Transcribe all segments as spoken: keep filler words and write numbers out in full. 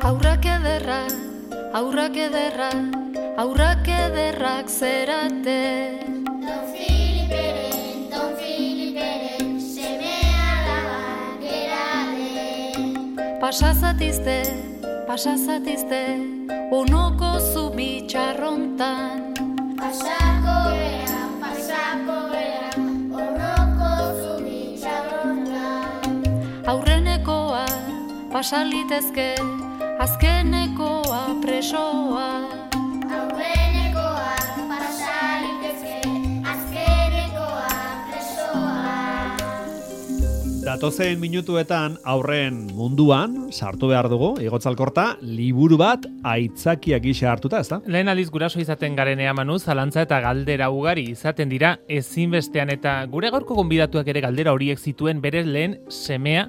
Aurrak ederrak, aurrak ederrak, aurrak ederrak zerate. Don Filiperen, Don Filiperen, semea alaba gerade. Pasazatizte, pasazatizte, onoko zubi txarrontan. Pasako bera, pasako bera, onoko zubi txarrontan. Aurrenekoa, pasalitezke, azkenekoa presoa. Aurrenekoa, pasalitezke, azkenekoa presoa. Datozen minutuetan aurren munduan sartu behar dugu, Igotzalkorta, liburu bat aitzakia gisa hartuta, ezta? Lehen aldiz guraso izaten garenea Manu, zalantza eta galdera ugari izaten dira ezinbestean, eta gure gaurko gonbidatuak ere galdera horiek zituen bere lehen semea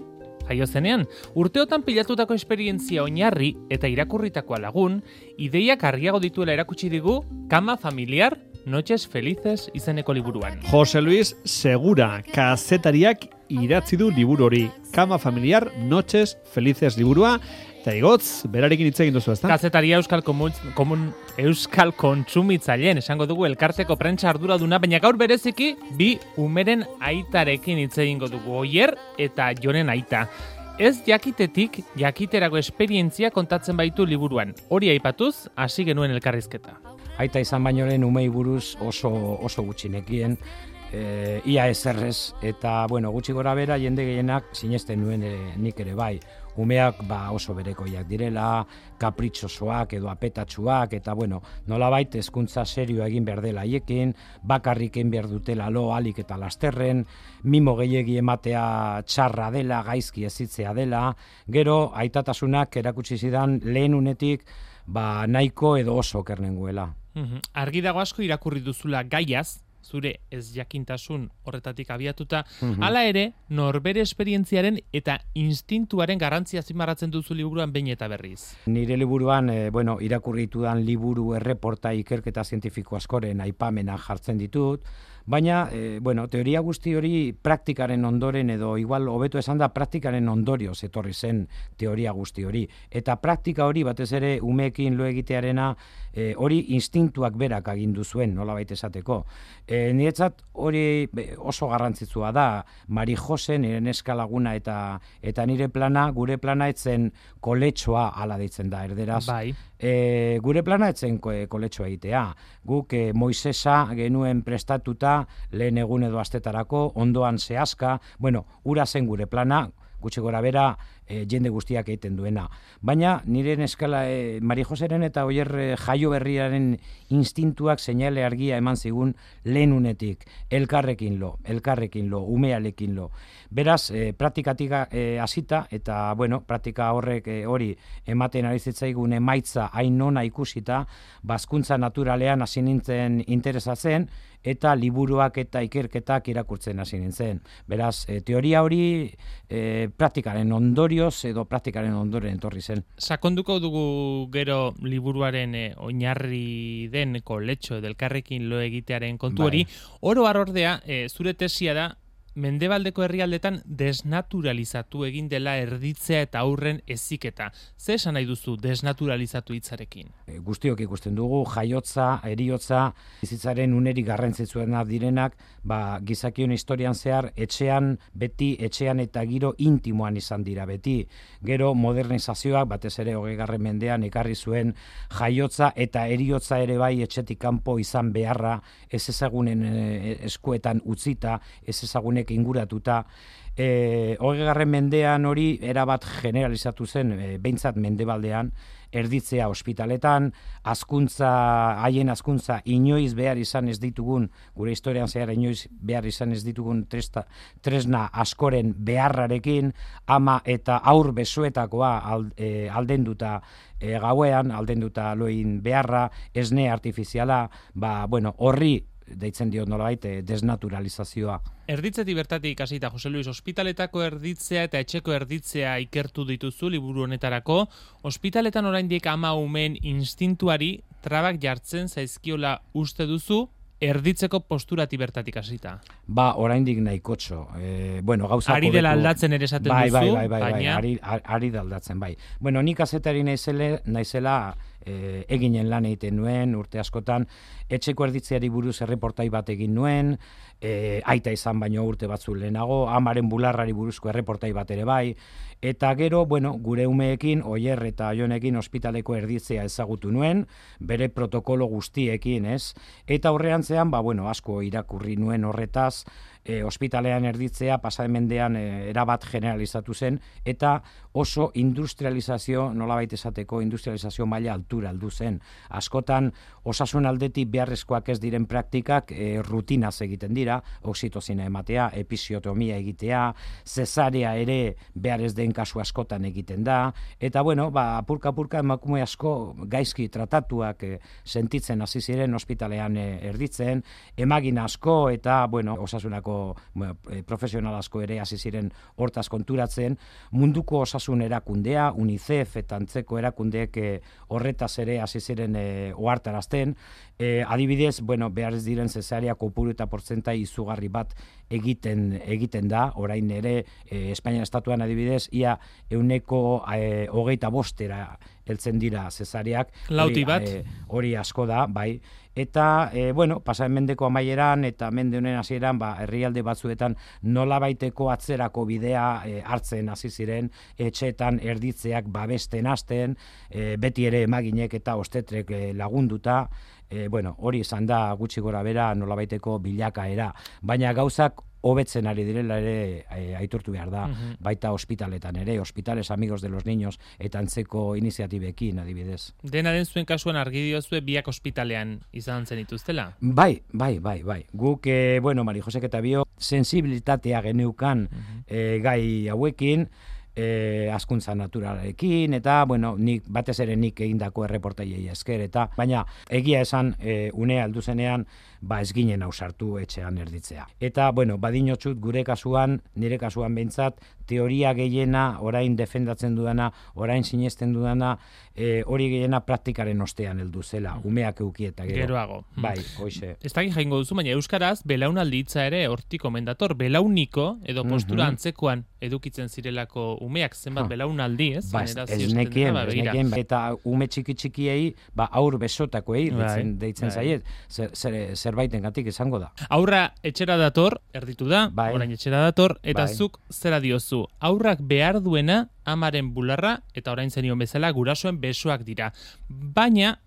jaio zenean. Urteotan pilatutako esperientzia oinarri eta irakurritakoa lagun, ideiak argiago dituela erakutsi digu Kama Familiar, Noches Felices izeneko liburuan. Jose Luis Segura, kazetariak idatzi du liburu hori. Kama Familiar, Noches Felices liburua. Eta Igotz, berarekin hitz egin duzu, ezta? Kazetaria Euskal Komun, komun, Euskal Kontsumitzaileen, esango dugu elkarteko prentsa arduraduna, baina gaur bereziki bi umeren aitarekin hitz egingo dugu, Oier eta Jonen aita. Ez jakitetik, jakiterako esperientzia kontatzen baitu liburuan. Hori aipatuz, hasi genuen elkarrizketa. Aita izan baino lehen umei buruz oso, oso gutxinekien, e, ia ezerrez, eta bueno, gutxi gora bera jende gehienak sinesten nuen e, nik ere bai. Umeak ba, oso berekoiak direla, kapritxosoak edo apetatsuak, eta bueno, nolabait hezkuntza serioa egin behar dela haiekin, bakarrik egin behar dutela lo alik eta lasterren, mimo gehiegi ematea txarra dela, gaizki ezitzea dela, gero aitatasunak erakutsi zidan lehen unetik ba, nahiko edo oso kernenguela. Uhum. Argi dago asko irakurri duzula gaiaz, zure ez jakintasun horretatik abiatuta, Mhm. hala ere, norbere esperientziaren eta instintuaren garrantzia azpimarratzen duzu liburuan behin eta berriz. Nire liburuan, e, bueno, irakurri ditudan liburu erreporta ikerketa zientifiko askoren aipamena jartzen ditut, baina, e, bueno, teoria guzti hori praktikaren ondoren edo igual hobeto esan da praktikaren ondorioz etorri zen teoria guzti hori. Eta praktika hori batez ere umeekin lo egitearena e, hori instintuak berak agindu zuen, nolabait esateko. E, niretzat hori oso garrantzitsua da, Mari Jose, nire neska laguna eta eta nire plana, gure plana etzen koletxoa ala deitzen da, erderaz. Bai. E, gure plana etzen koletxoa egitea. Guk e, Moisesa genuen prestatuta lehen egun edo astetarako, ondoan zehazka, bueno, ura zen gure plana, gutxi gora bera e, jende guztiak egiten duena. Baina nire neskala e, Mari Joseren eta Oier e, jaio berriaren instintuak seinale argia eman zigun lehen unetik, elkarrekin lo, elkarrekin lo, umealekin lo. Beraz, e, praktikatik e, hasita eta, bueno, praktika horrek e, hori ematen ari zitzaigun emaitza hain ona ikusita, bazkuntza naturalean hasi nintzen interesatzen, eta liburuak eta ikerketak irakurtzen hasi nintzen. Beraz, e, teoria hori e, praktikaren ondorioz edo praktikaren ondoren etorri zen. Sakonduko dugu gero liburuaren e, oinarri den koletxo edo elkarrekin lo egitearen kontu hori. Bai. Oro har ordea, e, zure tesia da, mendebaldeko herrialdetan desnaturalizatu egin dela erditzea eta aurren heziketa. Ze esan nahi duzu desnaturalizatu hitzarekin? E, guztiok ikusten dugu, jaiotza, eriotza, bizitzaren unerik garrantzitsuenak direnak, ba, gizakion historian zehar, etxean, beti, etxean eta giro intimoan izan dira beti. Gero modernizazioak, batez ere hogeigarren mendean, ekarri zuen jaiotza eta eriotza ere bai etxetik kanpo izan beharra, ez ezagunen e, eskuetan utzita, ez ezagunek inguratuta. E, hogeigarren mendean hori erabat generalizatu zen, e, behintzat mendebaldean, erditzea ospitaletan, azkuntza, haien azkuntza inoiz behar izan ez ditugun, gure historian zehar inoiz behar izan ez ditugun tresta, tresna askoren beharrarekin, ama eta aur besoetakoa ald, e, aldenduta e, gauean, aldenduta loin beharra, esne artifiziala, ba, bueno, horri deitzen diot nolabait desnaturalizazioa. Erditzetik bertatik hasita Jose Luis, ospitaletako erditzea eta etxeko erditzea ikertu dituzu liburu honetarako. Ospitaletan oraindik ama umeen instintuari trabak jartzen zaizkiola uste duzu, erditzeko posturati bertatik hasita. Ba, oraindik nahikotxo. E, bueno, gauzak Ari dela hobetu- aldatzen ere esaten bai, duzu, bai, bai, bai, bai, baina ari, ari da aldatzen, bai. Bueno, nik kazetari naizela, naizela e, eginen lan egiten nuen, urte askotan, etxeko erditzeari buruz erreportai bat egin nuen, e, aita izan baino urte batzu lehenago, amaren bularrari buruzko erreportai bat ere bai, eta gero, bueno, gure umeekin, Oier eta Jonekin ospitaleko erditzea ezagutu nuen, bere protokolo guztiekin, ez? Eta horreantzean, ba, bueno, asko irakurri nuen horretaz, e, ospitalean erditzea pasaden mendean e, erabat generalizatu zen, eta oso industrializazio, nolabait esateko, industrializazio maila altura aldu zen. Askotan, osasun aldetik beharrezkoak ez diren praktikak e, rutinaz egiten dira, oxitozina ematea, episiotomia egitea, zesarea ere behar ez den kasu askotan egiten da, eta bueno, ba, apurka-apurka emakume asko gaizki tratatuak e, sentitzen hasi ziren ospitalean e, erditzen, emagin asko eta, bueno, osasunako bueno, e, profesional asko ere hasi ziren hortaz konturatzen, munduko osasun erakundea, UNICEF eta antzeko erakundeek e, horretaz ere hasi ziren e, ohartarazten, e, adibidez, bueno, behar ez diren zesarea kopuru eta portzentai izugarri bat egiten egiten da, orain ere e, Espainia estatuan adibidez, ia euneko e, hogeita bostera heltzen dira zesareak. Lauti bat. E, hori asko da, bai. Eta, e, bueno, pasaren mendeko amaieran eta mende honen hasieran, ba, herrialde batzuetan nolabaiteko atzerako bidea e, hartzen hasi ziren, etxeetan erditzeak babesten hasten, e, beti ere emaginek eta ostetrek e, lagunduta, e, bueno, hori izan da gutxi gora bera nolabaiteko bilakaera, baina gauzak hobetzen ari direla ere e, aitortu behar da, Mhm. baita ospitaletan ere, Hospitales Amigos de los Niños eta antzeko iniziatibekin adibidez. dena den zuen kasuan argi diozue biak ospitalean izan zen dituztela. Bai, bai, bai, bai. Guk, e, bueno, Mari Josek eta bio, sensibilitatea geneukan e, gai hauekin, e, askuntza naturalekin, eta, bueno, nik, batez ere nik egindako erreportaiei esker, eta, baina, egia esan, e, unea aldu zenean, ba ez ginen ausartu etxean erditzea. Eta, bueno, badinotxut gure kasuan, nire kasuan behintzat, teoria gehiena, orain defendatzen dudana, orain sinesten dudana, e, hori gehiena praktikaren ostean heldu zela, umeak eukieta gero. Geroago. Bai, hoxe. Ez dakit jaingo duzu, baina euskaraz belaunaldi hitza ere hortik omendator, belauniko edo postura Mhm. antzekoan edukitzen zirelako umeak zenbat Ha. belaunaldi, ez? Ba, ez, Generazio ez esaten nekien, dena, ba, ez begira. nekien, eta ume txiki txikiei, ba, aur besotakoei Bai, deitzen, deitzen bai. zaiet, zer, zer, zerbaitengatik izango da. Aurra etxera dator, erditu da, Bai. orain etxera dator, eta Bai. zuk zera diozu. Aurrak behar duena amaren bularra, eta orain zenion bezala gurasoen besoak dira. Baina,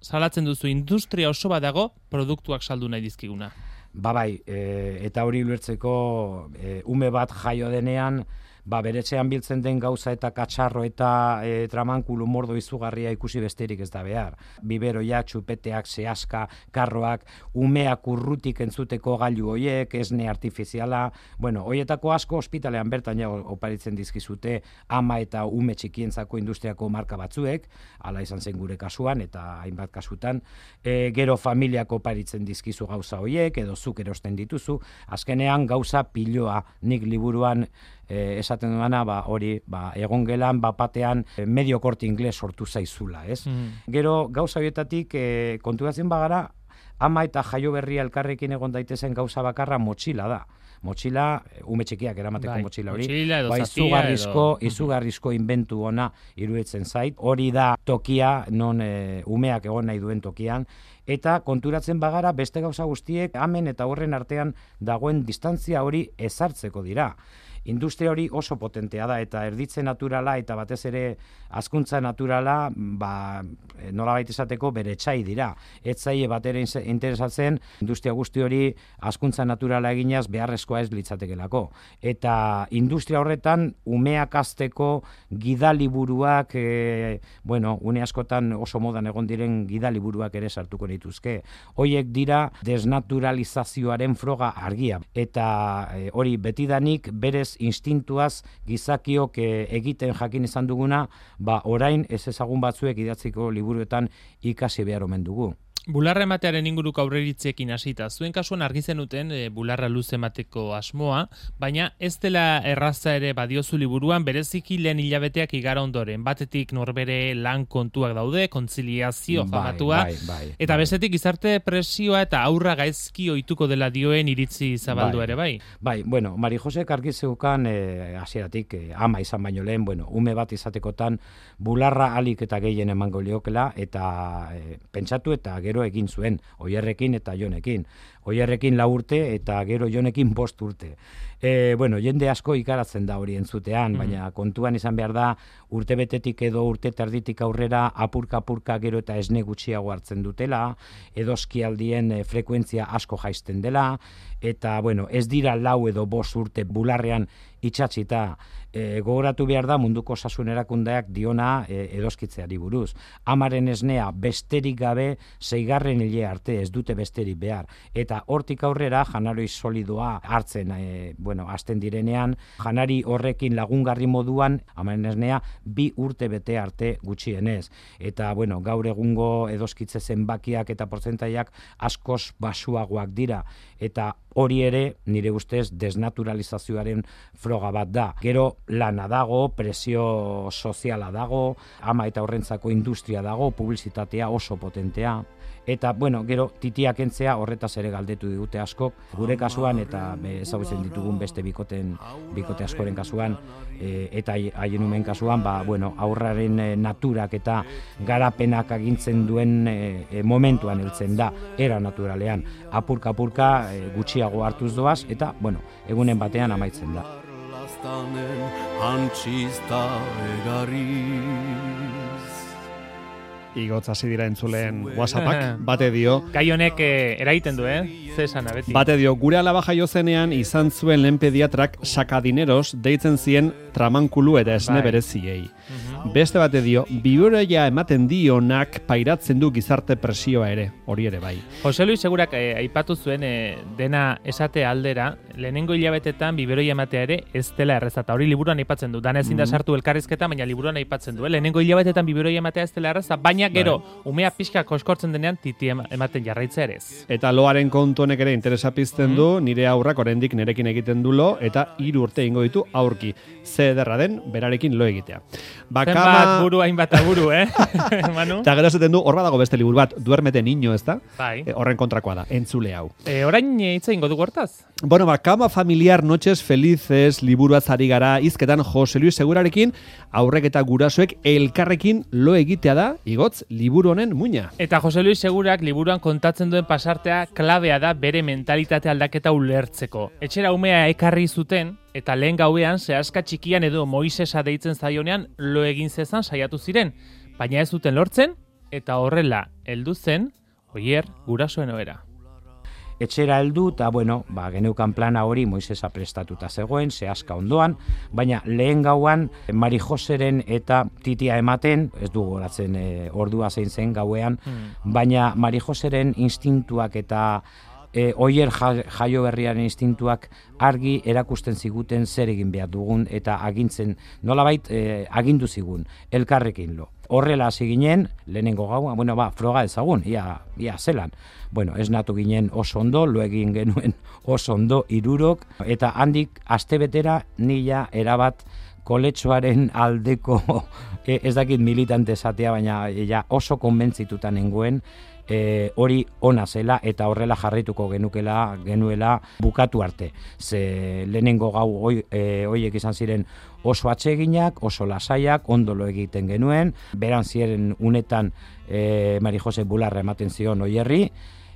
salatzen duzu industria oso bat dago produktuak saldu nahi dizkiguna. Ba bai, e, eta hori ulertzeko e, ume bat jaio denean, ba beretxean biltzen den gauza eta katxarro eta e, tramankulu mordo izugarria ikusi besterik ez da behar. Biberoiak, txupeteak, sehaska, karroak, umeak urrutik entzuteko gailu hoiek, esne artifiziala, bueno, hoietako asko ospitalean bertan ja oparitzen dizkizute ama eta ume txikientzako industriako marka batzuek, hala izan zen gure kasuan eta hainbat kasutan, e, gero familiako oparitzen dizkizu gauza hoiek, edo zuk erosten dituzu, azkenean gauza piloa, nik liburuan e, esaten duana, ba, hori, ba, egon gelan, bapatean, e, medio korte ingles sortu zaizula, ez? Gero, gauza horietatik, e, konturatzen bagara, ama eta jaio berria elkarrekin egon daitezen gauza bakarra motxila da. Motxila, e, ume txikiak eramateko Bai, motxila hori. motxila edo Ba, zatia izugarrizko, edo- izugarrizko inbentu ona iruditzen zait. Hori da tokia, non e, umeak egon nahi duen tokian, eta konturatzen bagara beste gauza guztiek hemen eta horren artean dagoen distantzia hori ezartzeko dira. Industria hori oso potentea da, eta erditze naturala eta batez ere hazkuntza naturala, ba, nolabait esateko bere etxai dira. Ez zaie bat ere interesatzen industria guzti hori hazkuntza naturala eginaz beharrezkoa ez litzatekelako. Eta industria horretan umeak hazteko gidaliburuak, e, bueno, une askotan oso modan egon diren gidaliburuak ere sartuko nituzke. Hoiek dira desnaturalizazioaren froga argia. Eta e, hori betidanik berez instintuaz gizakiok e, egiten jakin izan duguna, ba orain ez ezagun batzuek idatziko liburuetan ikasi behar omen dugu. Bularra ematearen inguruko aurreiritzeekin hasita. Zuen kasuan argi zenuten e, bularra luze emateko asmoa, baina ez dela erraza ere badiozu liburuan, bereziki lehen hilabeteak igara ondoren. Batetik norbere lan kontuak daude, kontziliazio famatua, bai, bai, eta bai. bestetik gizarte presioa eta aurra gaizki ohituko dela dioen iritzi zabaldu Bai. ere, bai. Bai, bueno, Mari Josek argi zeukan eh, hasieratik eh, ama izan baino lehen, bueno, ume bat izatekotan bularra alik eta gehien emango liokela, eta eh, pentsatu eta gero egin zuen, Oierrekin eta Jonekin. Oierrekin lau urte eta gero Jonekin bost urte. E, bueno, jende asko ikaratzen da hori entzutean, baina kontuan izan behar da urtebetetik edo urte terditik aurrera apurka-apurka gero eta esne gutxiago hartzen dutela, edoskialdien e, frekuentzia asko jaisten dela, eta bueno, ez dira lau edo bost urte bularrean itxatzita. E, gogoratu behar da munduko osasun erakundeak diona e, edoskitzeari buruz. Amaren esnea besterik gabe seigarren hile arte ez dute besterik behar. Eta hortik aurrera janari solidoa hartzen e, bueno, hasten direnean, janari horrekin lagungarri moduan amaren esnea bi urte bete arte gutxienez. Eta bueno, gaur egungo edoskitze zenbakiak eta portzentaiak askoz basuagoak dira. Eta hori ere, nire ustez, desnaturalizazioaren froga bat da. Gero lana dago, presio soziala dago, ama eta horrentzako industria dago, publizitatea oso potentea. Eta, bueno, gero, titiak entzea horretaz ere galdetu digute askok, gure kasuan eta ezagutzen ditugun beste bikoten, bikote askoren kasuan, e, eta haien umen kasuan, ba, bueno, aurraren e, naturak eta garapenak agintzen duen e, e, momentuan heltzen da, era naturalean, apurka-apurka e, gutxiago hartuz doaz, eta, bueno, egunen batean amaitzen da. Antxista egarriz. Igotz hasi dira entzulen WhatsAppak, bate dio, Gai honek eh, eraiten du, eh? Ze esana, beti. bate dio, gure alaba jaio zenean izan zuen lehen pediatrak sakadineros deitzen zien tramankulu eta esne Bai. bereziei. Beste bate dio, biberoia ematen dionak pairatzen du gizarte presioa ere, hori ere bai. Jose Luis segurak eh, aipatu zuen eh, dena esate aldera, lehenengo hilabetetan biberoia ematea ere ez dela erreza, eta hori liburuan aipatzen du. Dana ezin da sartu elkarrizketa, baina liburuan aipatzen du. Eh? Lehenengo hilabetetan biberoia ematea ez dela erreza, baina gero, umea pixka koskortzen denean titi ema- ematen jarraitza ere ez. Eta loaren kontu honek ere interesa pizten du, nire aurrak oraindik nerekin egiten du lo, eta hiru urte ingo ditu aurki. Ze ederra den, berarekin lo egitea. Zenbat Bakama... buru, hainbat aburu, eh? Manu? Eta gero esaten du, hor badago beste liburu bat, duermete niño, ez da? Bai. E, horren kontrakoa da, entzule hau. E, orain eh, hitz egingo dugu hortaz. Bueno, ba, Kama Familiar Noches Felices liburuaz ari gara hizketan Jose Luis Segurarekin, aurrek eta gurasoek elkarrekin lo egitea da, igotz, liburu honen muina. Eta Jose Luis Segurak liburuan kontatzen duen pasartea klabea da bere mentalitate aldaketa ulertzeko. Etxera umea ekarri zuten, eta lehen gauean zehazka txikian edo Moisesa deitzen zaionean lo egin zezan saiatu ziren, baina ez zuten lortzen, eta horrela heldu zen, Oier gurasoen ohera. Etxera heldu eta, bueno, ba, geneukan plana hori Moisesa prestatuta zegoen, zehazka ondoan, baina lehen gauan Mari Joseren eta titia ematen, ez du goratzen e, ordua zein zen gauean, baina Mari Joseren instintuak eta e, Oier ja- jaio berriaren instintuak argi erakusten ziguten zer egin behar dugun eta agintzen, nolabait e, agindu zigun, elkarrekin lo. Horrela hasi ginen, lehenengo gaua, bueno, ba, froga ezagun, ia, ia zelan. Bueno, ez natu ginen oso ondo, lo egin genuen oso ondo irurok, eta handik astebetera nila erabat koletxoaren aldeko, e, ez dakit militante esatea, baina ja, oso konbentzituta nengoen, e, hori ona zela eta horrela jarraituko genukela genuela bukatu arte. Ze lehenengo gau hoi, e, hoiek izan ziren oso atseginak, oso lasaiak, ondo lo egiten genuen, beran ziren unetan e, Mari Jose bularra ematen zion Oierri,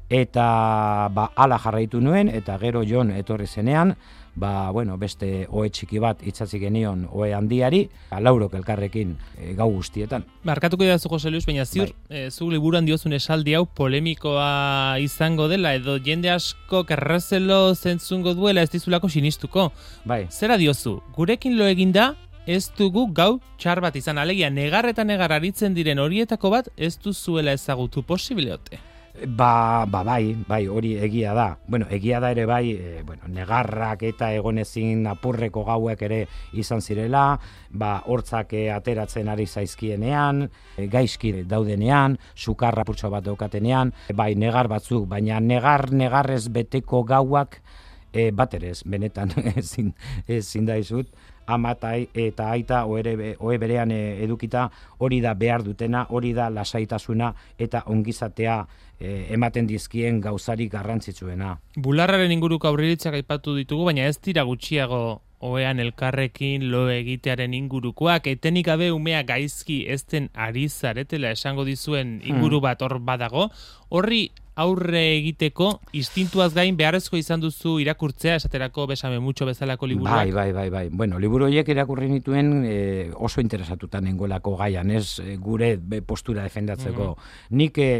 eta ba, ala jarraitu nuen, eta gero Jon etorri zenean, ba, bueno, beste ohe txiki bat itzatzi genion ohe handiari, laurok elkarrekin e, gau guztietan. Markatuko idazu Jose Luis, baina ziur, Bai. e, zu liburuan diozun esaldi hau polemikoa izango dela, edo jende asko errezelo zentzungo duela ez dizulako sinistuko. Bai. Zera diozu, gurekin lo eginda, ez dugu gau txar bat izan, alegia negar eta negar aritzen diren horietako bat ez duzuela ezagutu posible ote. Ba, ba bai, bai, hori egia da. Bueno, egia da ere bai, e, bueno, negarrak eta egonezin apurreko gauek ere izan zirela, ba, hortzak e, ateratzen ari zaizkienean, e, gaizki daudenean, sukarra purtso bat daukatenean, e, bai, negar batzuk, baina negar, negarrez beteko gauak, e, bat ere ez, benetan ezin, ezin daizut, ama eta aita ohe berean edukita hori da behar dutena, hori da lasaitasuna eta ongizatea e, ematen dizkien gauzarik garrantzitsuena. Bularraren inguruko aurriritzak aipatu ditugu, baina ez dira gutxiago ohean elkarrekin lo egitearen ingurukoak, etenik gabe umea gaizki ezten ari zaretela esango dizuen inguru bat hor badago, horri aurre egiteko instintuaz gain beharrezko izan duzu irakurtzea, esaterako Besame Mucho bezalako liburuak. Bai, bai, bai, bai. Bueno, liburu horiek irakurri nituen e, oso interesatuta nengoelako gaian, ez e, gure postura defendatzeko. Mm-hmm. Nik e,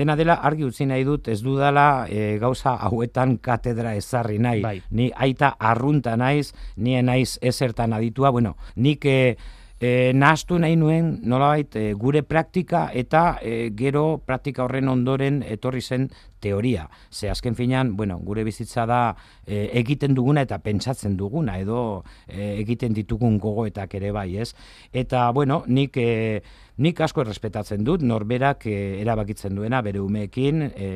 dena dela argi utzi nahi dut, ez dudala e, gauza hauetan katedra ezarri nahi. Bai. Ni aita arrunta naiz, ni naiz ezertan aditua, bueno, nik e, E, nahastu nahi nuen nolabait e, gure praktika eta e, gero praktika horren ondoren etorri zen teoria. Ze azken finean, bueno, gure bizitza da e, egiten duguna eta pentsatzen duguna edo e, egiten ditugun gogoetak ere bai, ez? Eta, bueno, nik e, nik asko errespetatzen dut norberak e, erabakitzen duena bere umeekin e,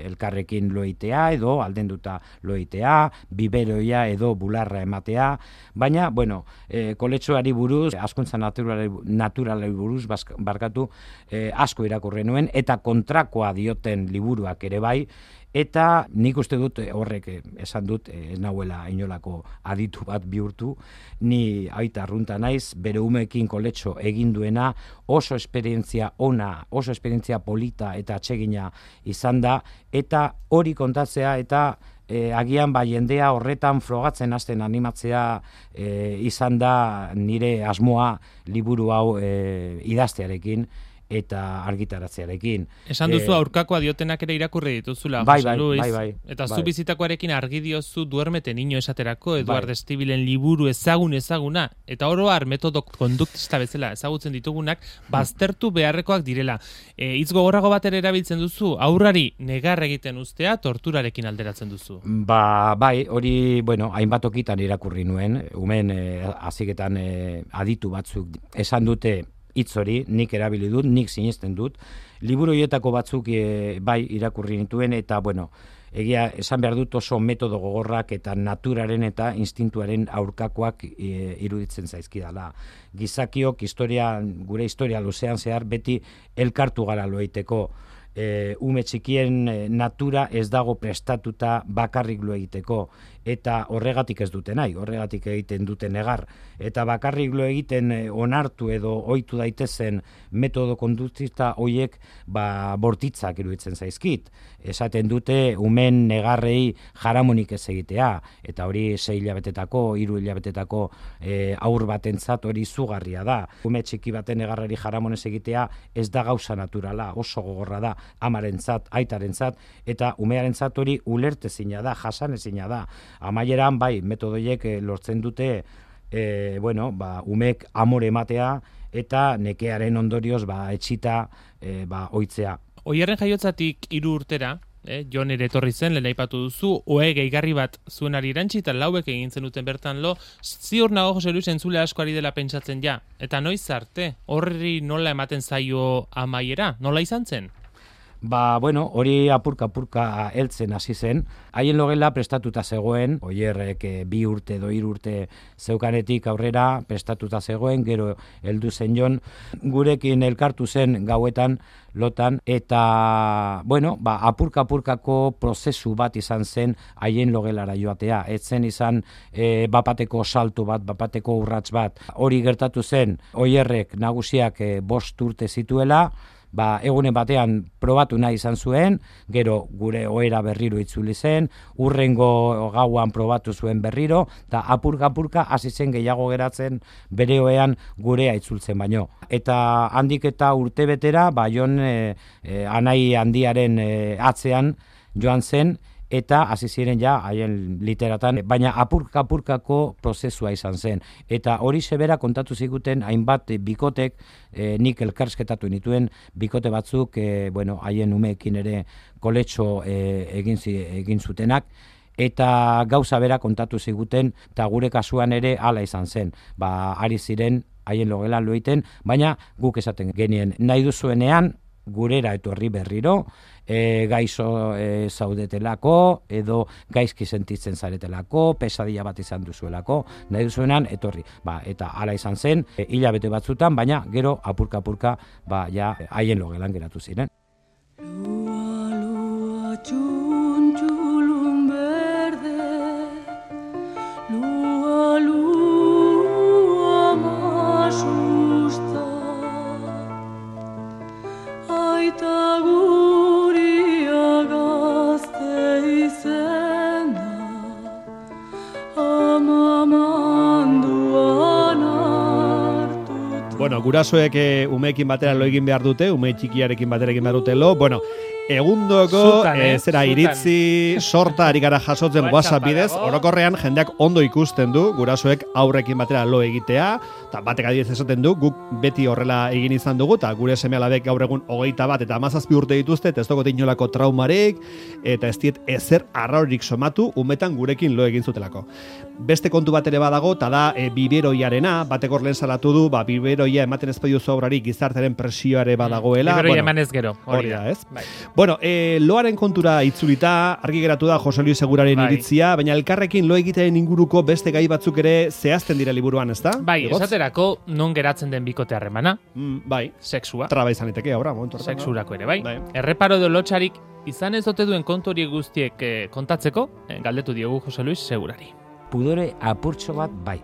elkarrekin loitea edo aldenduta loitea, biberoia edo bularra ematea, baina, bueno, e, koletxoari buruz, askuntza naturalari, naturalari buruz barkatu e, asko irakurri nuen eta kontrakoa dioten liburuak ere bai, eta nik uste dut horrek esan dut ez nahuela inolako aditu bat bihurtu, ni aita arrunta naiz, bere umeekin koletxo egin duena, oso esperientzia ona, oso esperientzia polita eta atsegina izan da, eta hori kontatzea eta e, agian ba jendea horretan frogatzen hasten animatzea e, izan da nire asmoa liburu hau e, idaztearekin eta argitaratzearekin. Esan duzu aurkakoa diotenak ere irakurri dituzula, bai, Jose bai, Luis. bai, bai, eta bai. zu bizitakoarekin argi diozu Duermete niño esaterako, Eduard Bai. Estibilen liburu ezagun ezaguna, eta oro har metodo konduktista bezala ezagutzen ditugunak, baztertu beharrekoak direla. E, hitz gogorrago bat ere erabiltzen duzu, aurrari negar egiten ustea torturarekin alderatzen duzu. Ba, bai, hori, bueno, hainbat okitan irakurri nuen, umen e, aziketan e, aditu batzuk esan dute hitz hori, nik erabili dut, nik sinesten dut. Liburu horietako batzuk e, bai irakurri nituen eta, bueno, egia esan behar dut oso metodo gogorrak eta naturaren eta instintuaren aurkakoak e, iruditzen zaizkidala. Gizakiok historia, gure historia luzean zehar beti elkartu gara loiteko. E, ume txikien e, natura ez dago prestatuta bakarrik lo egiteko eta horregatik ez dute nahi, horregatik egiten dute negar eta bakarrik lo egiten e, onartu edo ohitu daitezen metodo konduktista hoiek ba bortitzak iruditzen zaizkit. Esaten dute umen negarrei jaramonik ez egitea eta hori sei hilabetetako, hiru hilabetetako e, aur batentzat hori izugarria da. Ume txiki baten negarrari jaramonez egitea ez da gauza naturala, oso gogorra da amarentzat, aitarentzat eta umearentzat hori ulertezina da, jasanezina da. Amaieran bai metodoiek lortzen dute e, bueno, ba, umek amore ematea eta nekearen ondorioz ba etxita e, ba ohitzea. Oierren jaiotzatik hiru urtera, eh, Jon ere etorri zen, lehen aipatu duzu, ohe gehigarri bat zuenari irantzi eta lauek egin zenuten bertan lo, ziur nago Jose Luis entzule asko ari dela pentsatzen ja. Eta noiz arte, horri nola ematen zaio amaiera, nola izan zen? Ba, bueno, hori apurka-apurka heltzen hasi zen. Haien logela prestatuta zegoen, Oierrek e, bi urte edo hiru urte zeukanetik aurrera prestatuta zegoen, gero heldu zen Jon, gurekin elkartu zen gauetan, lotan, eta, bueno, ba, apurka-apurkako prozesu bat izan zen haien logelara joatea. Ez zen izan e, bapateko salto bat, bapateko urrats bat. Hori gertatu zen, Oierrek nagusiak e, bost urte zituela, ba, egunen batean probatu nahi izan zuen, gero gure ohera berriro itzuli zen, urrengo gauan probatu zuen berriro, eta apurka-apurka hasi zen gehiago geratzen bere ohean gurea itzultzen baino. Eta handik eta urte betera, ba, Jon e, e, anai handiaren e, atzean joan zen, eta hasi ziren ja haien literatan, baina apurka-apurkako prozesua izan zen. Eta hori sebera kontatu ziguten hainbat bikotek, e, nik elkarsketatu nituen bikote batzuk, e, bueno, haien umeekin ere koletxo e, egin, egin zutenak, eta gauza bera kontatu ziguten, eta gure kasuan ere hala izan zen. Ba, ari ziren haien logelan lo egiten, baina guk esaten genien nahi duzuenean gurera etorri berriro, e, gaizo e, zaudetelako, edo gaizki sentitzen zaretelako, pesadilla bat izan duzuelako, nahi duzuenan etorri. Ba, eta hala izan zen, e, hilabete batzutan, baina gero apurka-apurka ba, ja, haien logelan geratu ziren. Lua, lua, txuntxulun berde, lua, lua, masusta, aita guria gazte izena, ama manduan hartuta. Bueno, gurasoek e, umeekin batera lo egin behar dute, ume txikiarekin batera egin behar dute lo. Bueno, egundoko Zutan, eh? e, zera Zutan. iritzi sorta ari gara jasotzen WhatsApp WhatsApp bidez, badago. orokorrean jendeak ondo ikusten du gurasoek aurrekin batera lo egitea, eta batek adibidez esaten du, guk beti horrela egin izan dugu, eta gure seme-alabek gaur egun hogeita bat eta hamazazpi urte dituzte, eta ez dagote inolako traumarik, eta ez diet ezer arraurik somatu umetan gurekin lo egin zutelako. Beste kontu bat ere badago, eta da e, biberoiarena, batek hor lehen salatu du, ba, biberoia ematen ez badiuzu aurrari gizartearen presioare badagoela. Biberoia bueno, eman ez gero, hori hori da. da, ez? Bai. Bueno, e, loaren kontura itzulita, argi geratu da Jose Luis Seguraren Bai. iritzia, baina elkarrekin lo egitearen inguruko beste gai batzuk ere zehazten dira liburuan, ezta? Bai, Igotz? esaterako non geratzen den bikote harremana, Mm, bai, sexua, traba izan liteke, ahora, momentu horretan. sexurako ere, bai. Bai. Erreparo edo lotxarik izan ez ote duen kontu horiek guztiek eh, kontatzeko, eh, galdetu diogu Jose Luis Segurari. Pudore apurtxo bat bai.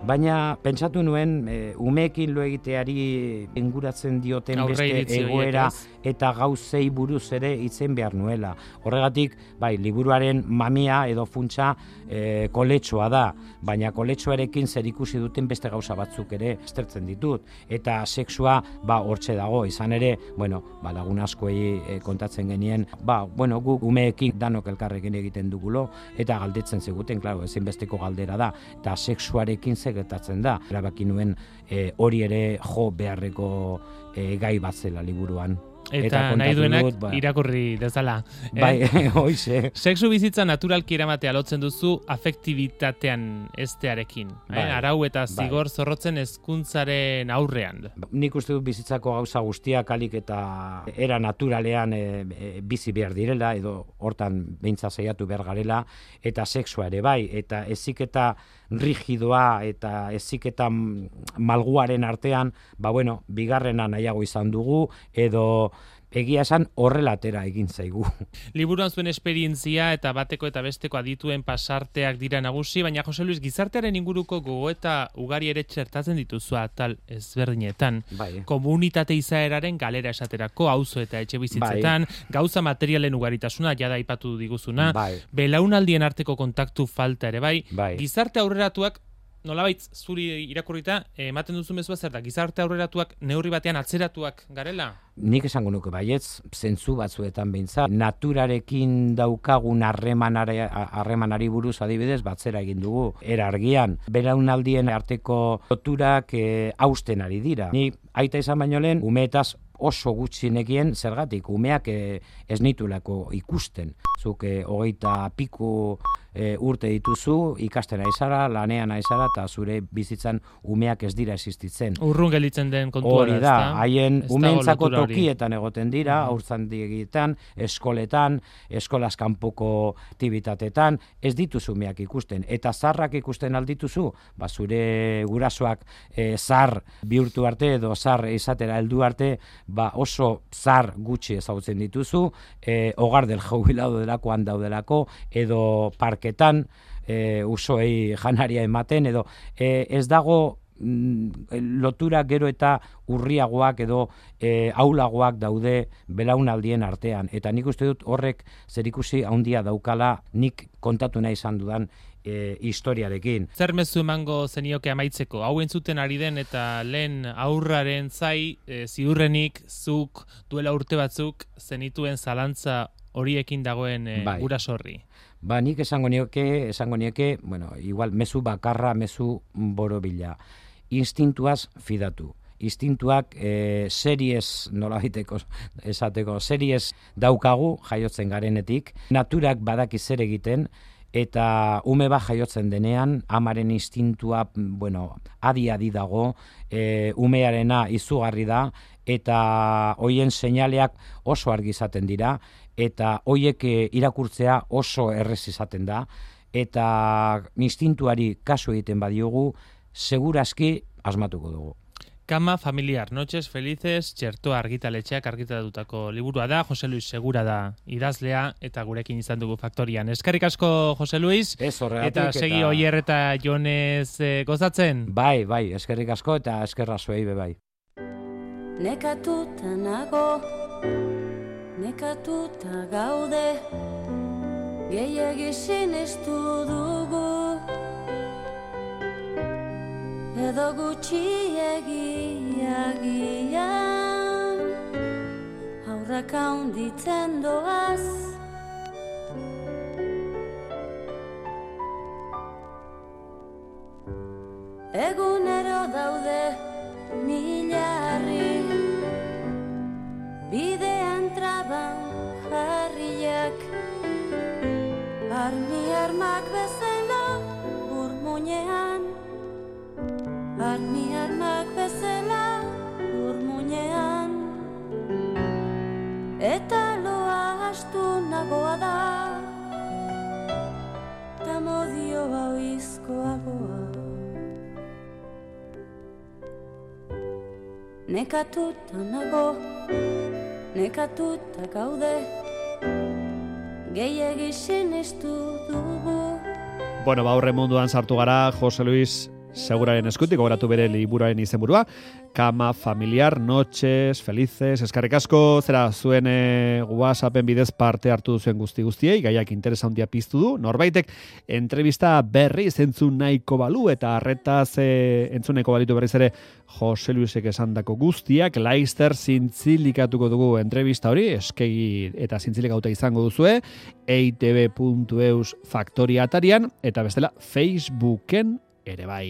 Baina pentsatu nuen e, umeekin lo egiteari inguratzen dioten Aurre beste iritzi horiek, egoera ez? eta gauzei buruz ere itzen behar nuela. Horregatik, bai, liburuaren mamia edo funtsa e, koletxoa da, baina koletxoarekin zer ikusi duten beste gauza batzuk ere estertzen ditut. Eta sexua, ba, hortxe dago, izan ere, bueno, ba, lagun askoei e, kontatzen genien, ba, bueno, guk umeekin danok elkarrekin egiten dugulo, eta galdetzen ziguten, klaro, ezinbesteko galdera da, eta sexuarekin zer gertatzen da. Erabaki nuen e, hori ere jo beharreko e, gai bat zela liburuan. Eta, kontatu nahi duenak dut, ba, irakurri dezala. eh? Bai, hoize. Sexu bizitza naturalki eramatea lotzen duzu afektibitatean estearekin. Bai, eh? Arau eta bai. zigor zorrotzen hezkuntzaren aurrean. Nik uste dut bizitzako gauza guztiak alik eta era naturalean e, e, bizi behar direla, edo hortan beintza saiatu behar garela, eta sexua ere bai, eta heziketa rigidoa eta heziketa malguaren artean, ba bueno, bigarrena nahiago izan dugu, edo egia esan horrela atera egin zaigu. Liburuan zuen esperientzia eta bateko eta besteko adituen pasarteak dira nagusi, baina Jose Luis, gizartearen inguruko gogoeta ugari ere txertatzen dituzu atal ezberdinetan. Bai. Komunitate izaeraren galera esaterako, auzo eta etxe bizitzetan, gauza materialen ugaritasuna, jada aipatu diguzuna, Bai. belaunaldien arteko kontaktu falta ere bai, Bai. gizarte aurreratuak, nolabait zuri irakurrita, ematen duzu mezua zer da, gizarte aurreratuak neurri batean atzeratuak garela? Nik esango nuke baietz, zentzu batzuetan behintzat, naturarekin daukagun harremanare- harremanari buruz adibidez batzera egin dugu. Era argian, belaunaldien arteko loturak e, hausten ari dira. Ni aita izan baino lehen, umeetaz oso gutxi nekien zergatik, umeak e, ez nitulako ikusten. Zuk e, hogeita piku e, urte dituzu, ikasten aizara, lanean aizara, eta zure bizitzan umeak ez dira existitzen. Urrun gelditzen den kontua Hori da, haien Ez dago umeentzako lotura hori. tokietan egoten dira, haurtzandietan, eskoletan, eskolaz kanpoko aktibitatetan, ez dituzu umeak ikusten. Eta zarrak ikusten aldituzu, ba zure gurasoak e, zar bihurtu arte edo zar izatera heldu arte, ba oso zar gutxi ezagutzen dituzu, e, hogar del jubilado delakoan daudelako, edo parketan, e, usoei janaria ematen, edo e, ez dago lotura gero eta urriagoak edo e, aulagoak daude belaunaldien artean. Eta nik uste dut horrek zerikusi handia daukala nik kontatu nahi izan dudan e, historiarekin. Zer mezu emango zenioke amaitzeko? Hau entzuten ari den eta lehen aurraren zai, e, ziurrenik zuk duela urte batzuk zenituen zalantza horiekin dagoen e, Bai. guraso horri? Ba, nik esango nioke, esango nioke, bueno, igual mezu bakarra, mezu borobila. Instintuaz fidatu. Instintuak e, series, nola biteko esateko, series daukagu jaiotzen garenetik. Naturak badaki zer egiten, eta ume bat jaiotzen denean, amaren instintua, bueno, adi-adi dago, e, umearena izugarri da, eta hoien seinaleak oso argi izaten dira, eta hoiek e, irakurtzea oso errez izaten da, eta instintuari kasu egiten badiogu, segurazki asmatuko dugu. Kama familiar, noches felices, txertoa argitaletxeak argitaratutako liburua da, Jose Luis Segura da idazlea, eta gurekin izan dugu faktorian. Eskerrik asko, Jose Luis, Ez horregatik, eta segi eta- Oier eta Jonez e, gozatzen. Bai, bai, eskerrik asko eta eskerra zuei be bai. Nekatuta nago, nekatuta gaude, gehiegi sinestu dugu, edo gutxiegi agian, aurrak handitzen doaz. Egunero daude milarri, bidean traban jarriak, armi armak bezala urmuñean, armi armak bezala urmuñean, eta loa astu nagoa da, ta modio hau izkoagoa. Nekatuta nago, nekatuta gaude, gehiegi sinestu dugu. Bueno, ba, aurre munduan sartu gara, Jose Luis Seguraren eskutik, gogoratu bere liburuaren izenburua, Kama familiar, noches, felices, eskarrik asko, zera zuen e, WhatsAppen bidez parte hartu duzuen guzti guztiei, gaiak interesa handia piztu du, norbaitek entrevista berriz entzun nahiko balu, eta arretaz e, entzun nahiko balitu berriz ere Jose Luisek esandako guztiak, Laster zintzilikatuko dugu entrevista hori, eskegi eta zintzilikauta izango duzue, e i te be puntu eus faktoria atarian, eta bestela Facebooken ere bai.